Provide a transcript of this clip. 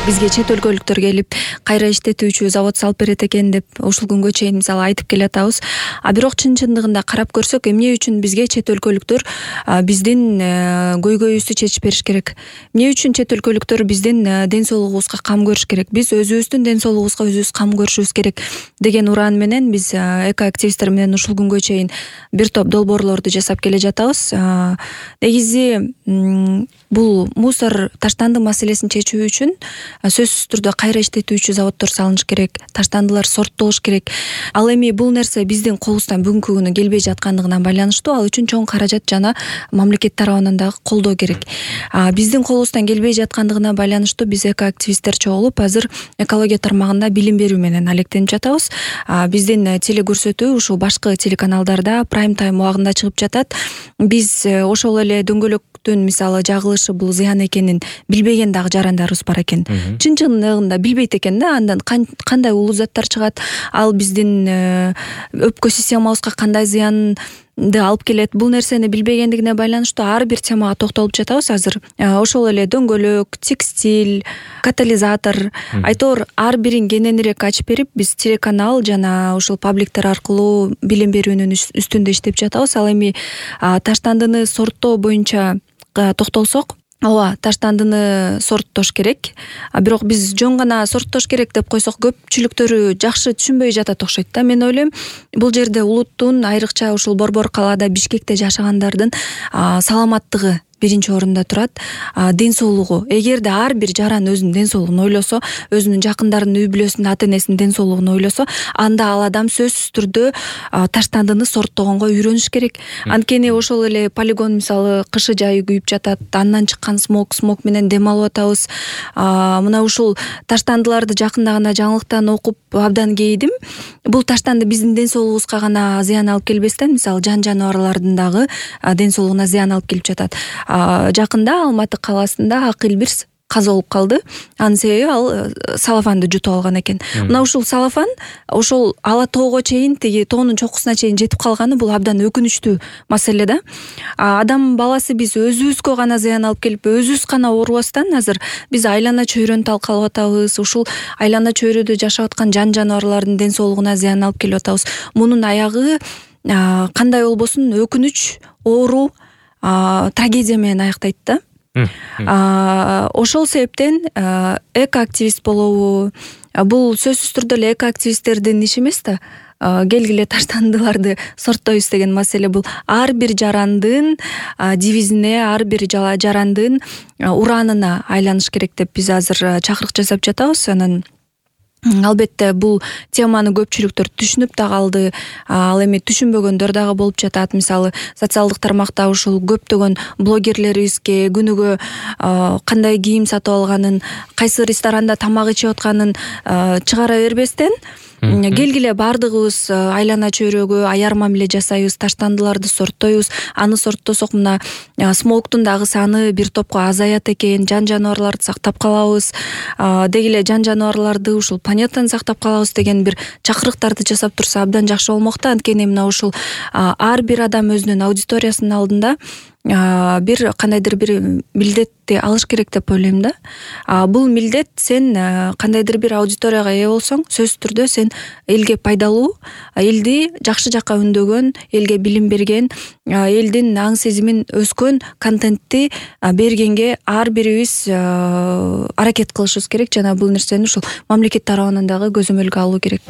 бизге чет өлкөлүктөр келип кайра иштетүүчү завод салып берет экен деп ушул күнгө чейин мисалы айтып келатабыз. Бирок чын-чындыгында карап көрсөк, эмне үчүн бизге чет өлкөлүктөр биздин көйгөйүбүздү чечип бериш керек? Эмне үчүн чет өлкөлүктөр биздин ден соолугубузга кам көрүш керек? Биз өзүбүздүн ден соолугубузга өзүбүз кам көрүшүбүз керек деген ураан менен биз экоактивисттер менен ушул күнгө чейин бир топ долбоорлорду жасап келе жатабыз. Негизи бул мусор таштанды маселесин чечүү үчүн сөзсүз түрдө кайра иштетүүчү заводдор салыныш керек, таштандылар сорттолуш керек. Ал эми бул нерсе биздин колубуздан бүгүнкү күнү келбей жаткандыгына байланыштуу. Ал үчүн чоң каражат жана мамлекет тарабынан дагы колдоо керек. Биздин колубуздан келбей жаткандыгына байланыштуу биз экоактивисттер чогулуп азыр экология тармагында билим берүү менен алектенип жатабыз. Биздин телекөрсөтүү ушул башкы телеканалдарда прайм тайм убагында чыгып жатат. Биз ошол эле дөңгөлөктүн мисалы жагылышы бул зыян экенин билбеген дагы жарандарыбыз бар экен. Чын-чындыгында билбейт экен да, андан кандай улуу заттар чыгат, ал биздин өпкө системабызга кандай зыянды алып келет. Бул нерсени билбегендигине байланыштуу ар бир темага токтолуп жатабыз азыр. Ошол эле дөңгөлөк, текстиль, катализатор, айтор ар бирин кененирээк ачып берип, биз телеканал жана ушул пабликтер аркылуу билим берүүнүн үстүндө иштеп жатабыз. Ал эми таштандыны сорттоо боюнча токтолсок, ооба, таштандыны сорттош керек. Бирок биз жөн гана сорттош керек деп койсок, көпчүлүктөрү жакшы түшүнбөй жатат окшойт да. Мен ойлойм, бул жерде улуттун, айрыкча ушул Борбор калаада, Бишкекте жашагандардын саламаттыгы биринчи орунда турат. Ден соолугу. Эгерде ар бир жаран өзүнүн ден соолугун ойлосо, өзүнүн жакындарынын, үй бүлөсүнүн, ата-энесинин ден соолугун ойлосо, анда ал адам сөзсүз түрдө таштандыны сорттогонго үйрөнүш керек. Анткени ошол эле полигон мисалы кышы жайы күйүп жатат, андан чыккан смог менен дем алып атабыз. Мына ушул таштандыларды жакында гана жаңылыктан окуп абдан кейидим. Бул таштанды биздин ден соолугубузга гана зыян алып келбестен, мисалы жан жаныбарлардын дагы ден соолугуна зыян алып келип жатат. Жакында Алматы калаасында акыл бир каза болуп калды. Анын себеби ал салафанды жутуп алган экен. Мына ушул салафан ошол ала тоого чейин, тиги тоонун чокусуна чейин жетип калганы бул абдан өкүнүчтүү маселе да. Адам баласы биз өзүбүзгө гана зыян алып келип, өзүбүз гана оорубастан азыр биз айлана чөйрөнү талкалап атабыз. Ушул айлана чөйрөдө жашап аткан жан жаныбарлардын ден соолугуна зыян алып келип атабыз. Мунун аягы кандай болбосун өкүнүч, оору, трагедия менен аяктайт да. Ошол себептен экоактивист болобу, бул сөзсүз түрдө эле экоактивисттердин иши эмес да. Келгиле таштандыларды сорттойбуз деген маселе бул ар бир жарандын девизине, ар бир жарандын ураанына айланыш керек деп биз азыр чакырык жасап жатабыз. Анан албетте бул теманы көпчүлүктөр түшүнүп да калды. Ал эми түшүнбөгөндөр дагы болуп жатат. Мисалы социалдык тармакта ушул көптөгөн блогерлерибизге күнүгө кандай кийим сатып алганын, кайсы ресторанда тамак ичип атканын чыгара бербестен, келгиле баардыгыбыз айлана чөйрөгө аяр мамиле жасайбыз, таштандыларды сорттойбуз. Аны сорттосок мына смогтун дагы саны бир топко азаят экен, жан жаныбарларды сактап калабыз. Дегиле жан жаныбарларды, ушул планетаны сактап калабыз деген бир чакырыктарды жасап турса абдан жакшы болмок да. Анткени мына ушул ар бир адам өзүнүн аудиториясынын алдында бир кандайдыр бир милдетти алыш керек деп ойлойм да. Бул милдет, сен кандайдыр бир аудиторияга ээ болсоң, сөзсүз түрдө сен элге пайдалуу, элди жакшы жакка үндөгөн, элге билим берген, элдин аң сезимин өскөн контентти бергенге ар бирибиз аракет кылышыбыз керек жана бул нерсени ушул мамлекет тарабынан дагы көзөмөлгө алуу керек.